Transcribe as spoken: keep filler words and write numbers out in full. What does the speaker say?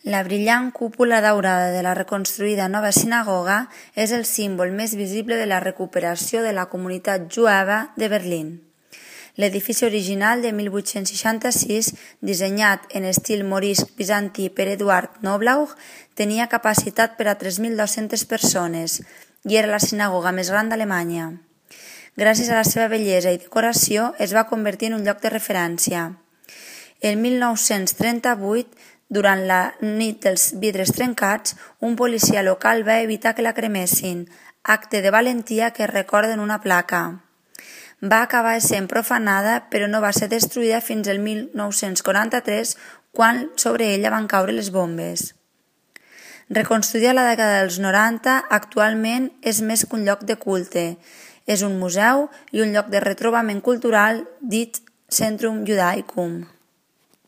La brillant cúpula daurada de la reconstruïda nova sinagoga és el símbol més visible de la recuperació de la comunitat jueva de Berlín. L'edifici original de mil vuit-cents seixanta-sis, dissenyat en estil morisc bizantí per Eduard Knoblauch, tenia capacitat per a tres mil dues-centes persones i era la sinagoga més gran d'Alemanya. Gràcies a la seva bellesa i decoració, es va convertir en un lloc de referència. El mil nou-cents trenta-vuit, durant la nit dels vidres trencats, un policia local va evitar que la cremessin, acte de valentia que es recorda en una placa. Va acabar sent profanada, però no va ser destruïda fins el mil nou-cents quaranta-tres, quan sobre ella van caure les bombes. Reconstruïda a la dècada dels noranta, actualment és més que un lloc de culte. És un museu i un lloc de retrobament cultural dit Centrum Judaicum.